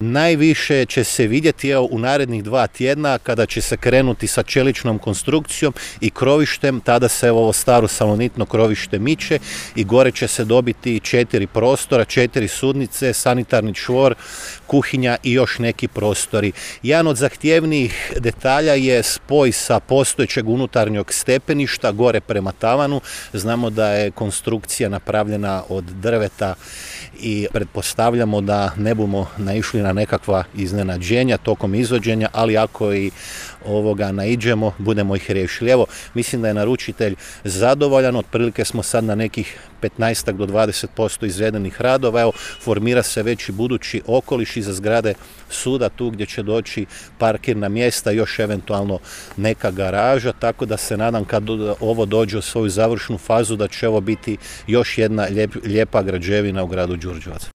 Najviše će se vidjeti u narednih 2 tjedna kada će se krenuti sa čeličnom konstrukcijom i krovištem, tada se ovo staro salonitno krovište miče i gore će se dobiti 4 prostora, 4 sudnice, sanitarni čvor, kuhinja i još neki prostori. Jedan od zahtjevnijih detalja je spoj sa postojećeg unutarnjeg stepeništa gore prema tavanu. Znamo da je konstrukcija napravljena od drveta i pretpostavljamo da ne bumo naišli na nekakva iznenađenja tokom izvođenja, ali ako i naiđemo, budemo ih riješili. Evo, mislim da je naručitelj zadovoljan, otprilike smo sad na nekih 15 do 20% izvedenih radova. Evo, formira se već i budući okoliš iza zgrade suda, tu gdje će doći parkirna mjesta, još eventualno neka garaža, tako da se nadam kad ovo dođe u svoju završnu fazu da će ovo biti još jedna lijepa građevina u gradu Đurđevac.